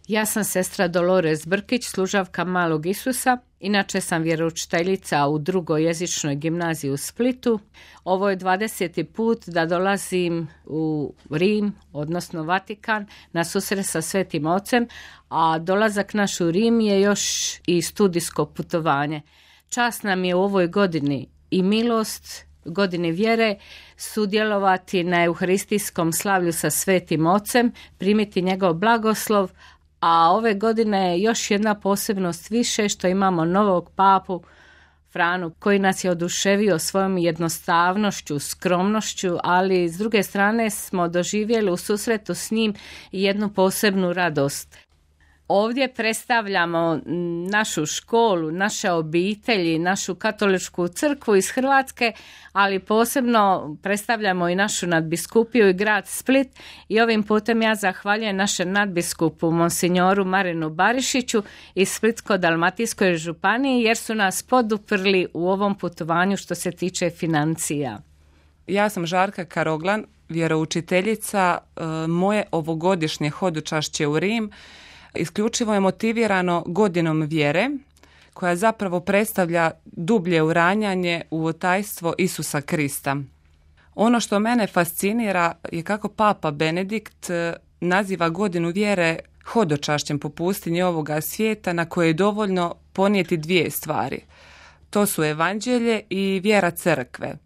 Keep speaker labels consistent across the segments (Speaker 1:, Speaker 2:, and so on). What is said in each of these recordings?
Speaker 1: Ja sam sestra Dolores Brkić, služavka Malog Isusa. Inače sam vjeroučiteljica u drugoj jezičnoj gimnaziji u Splitu. Ovo je 20. put da dolazim u Rim, odnosno Vatikan, na susret sa Svetim Ocem, a dolazak naš u Rim je još i studijsko putovanje. Čast nam je u ovoj godini i milost, godini vjere, sudjelovati na euharistijskom slavlju sa Svetim Ocem, primiti njegov blagoslov, a ove godine je još jedna posebnost više što imamo novog papu Franu koji nas je oduševio svojom jednostavnošću, skromnošću, ali s druge strane smo doživjeli u susretu s njim jednu posebnu radost. Ovdje predstavljamo našu školu, naše obitelji, našu katoličku crkvu iz Hrvatske, ali posebno predstavljamo i našu nadbiskupiju i grad Split i ovim putem ja zahvaljujem našem nadbiskupu monsignoru Marinu Barišiću iz Splitsko-dalmatinskoj županiji jer su nas poduprli u ovom putovanju što se tiče financija.
Speaker 2: Ja sam Žarka Karoglan, vjeroučiteljica. Moje ovogodišnje hodočašće u Rim isključivo je motivirano godinom vjere, koja zapravo predstavlja dublje uranjanje u otajstvo Isusa Krista. Ono što mene fascinira je kako Papa Benedikt naziva godinu vjere hodočašćem po pustinji ovoga svijeta na koje je dovoljno ponijeti dvije stvari. To su evanđelje i vjera crkve.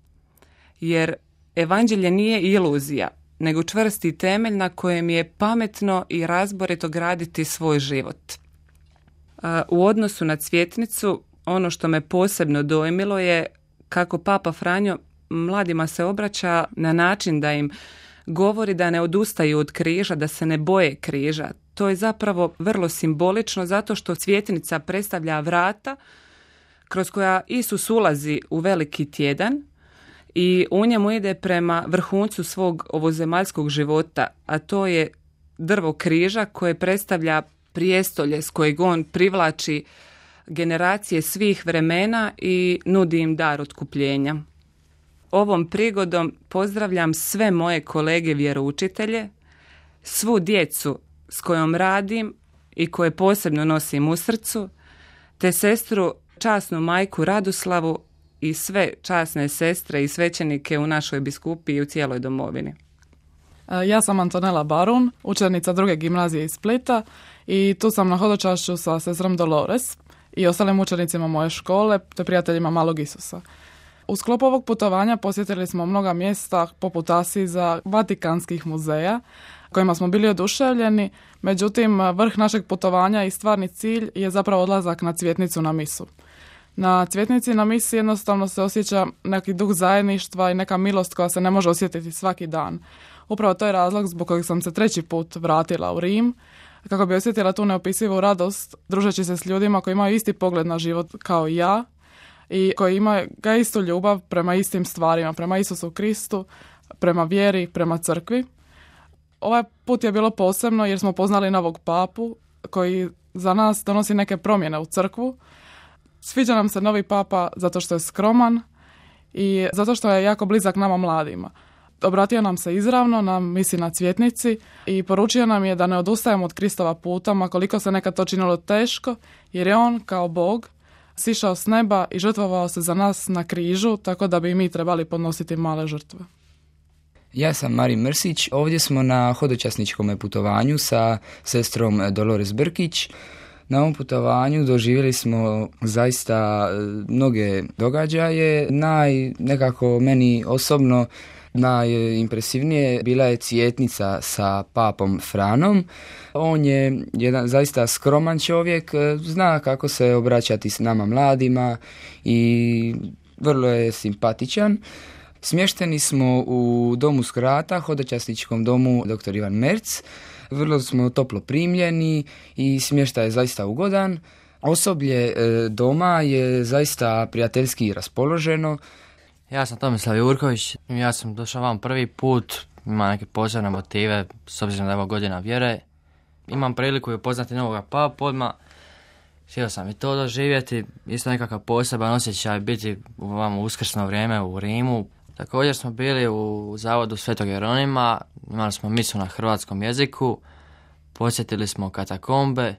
Speaker 2: Jer evanđelje nije iluzija, nego čvrsti temelj na kojem je pametno i razborito graditi svoj život. U odnosu na cvjetnicu, ono što me posebno dojmilo je kako Papa Franjo mladima se obraća na način da im govori da ne odustaju od križa, da se ne boje križa. To je zapravo vrlo simbolično zato što cvjetnica predstavlja vrata kroz koja Isus ulazi u veliki tjedan i u njemu ide prema vrhuncu svog ovozemaljskog života, a to je drvo križa koje predstavlja prijestolje s kojeg on privlači generacije svih vremena i nudi im dar otkupljenja. Ovom prigodom pozdravljam sve moje kolege vjeroučitelje, svu djecu s kojom radim i koje posebno nosim u srcu, te sestru časnu majku Radoslavu i sve časne sestre i svećenike u našoj biskupiji i u cijeloj domovini.
Speaker 3: Ja sam Antonela Barun, učenica druge gimnazije iz Splita i tu sam na hodočašću sa sestrom Dolores i ostalim učenicima moje škole te prijateljima Malog Isusa. U sklopu ovog putovanja posjetili smo mnoga mjesta poput Asiza, Vatikanskih muzeja kojima smo bili oduševljeni, međutim vrh našeg putovanja i stvarni cilj je zapravo odlazak na cvjetnicu na misu. Na cvjetnici na misi jednostavno se osjeća neki duh zajedništva i neka milost koja se ne može osjetiti svaki dan. Upravo to je razlog zbog kojeg sam se 3. put vratila u Rim, kako bi osjetila tu neopisivu radost družeći se s ljudima koji imaju isti pogled na život kao i ja i koji imaju ga istu ljubav prema istim stvarima, prema Isusu Kristu, prema vjeri, prema crkvi. Ovaj put je bilo posebno jer smo poznali novog papu koji za nas donosi neke promjene u crkvu. Sviđa nam se novi papa zato što je skroman i zato što je jako blizak nama mladima. Obratio nam se izravno na misi na cvjetnici i poručio nam je da ne odustajemo od Kristova puta, ma koliko se nekad to činilo teško, jer je on kao Bog sišao s neba i žrtvovao se za nas na križu, tako da bi mi trebali podnositi male žrtve.
Speaker 4: Ja sam Marin Mrsić, ovdje smo na hodočasničkom putovanju sa sestrom Dolores Brkić. Na ovom putovanju doživjeli smo zaista mnoge događaje. Nekako meni osobno najimpresivnije bila je cvjetnica sa papom Franom. On je jedan zaista skroman čovjek, zna kako se obraćati s nama mladima i vrlo je simpatičan. Smješteni smo u domu Skrata, hodočasničkom domu dr. Ivan Merc. Vrlo smo toplo primljeni i smještaj je zaista ugodan. Osoblje doma je zaista prijateljski raspoloženo.
Speaker 5: Ja sam Tomislav Jurković, ja sam došao vam prvi put, imam neke posebne motive, s obzirom da je ovo godina vjere. Imam priliku upoznati novog papu odmah, htio sam i to doživjeti, isto nekakav poseban osjećaj biti u ovom uskrsno vrijeme u Rimu. Također smo bili u zavodu Svetog Jeronima, imali smo misu na hrvatskom jeziku, posjetili smo katakombe.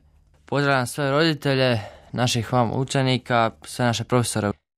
Speaker 5: Pozdravljam sve roditelje, naših vam učenika, sve naše profesore.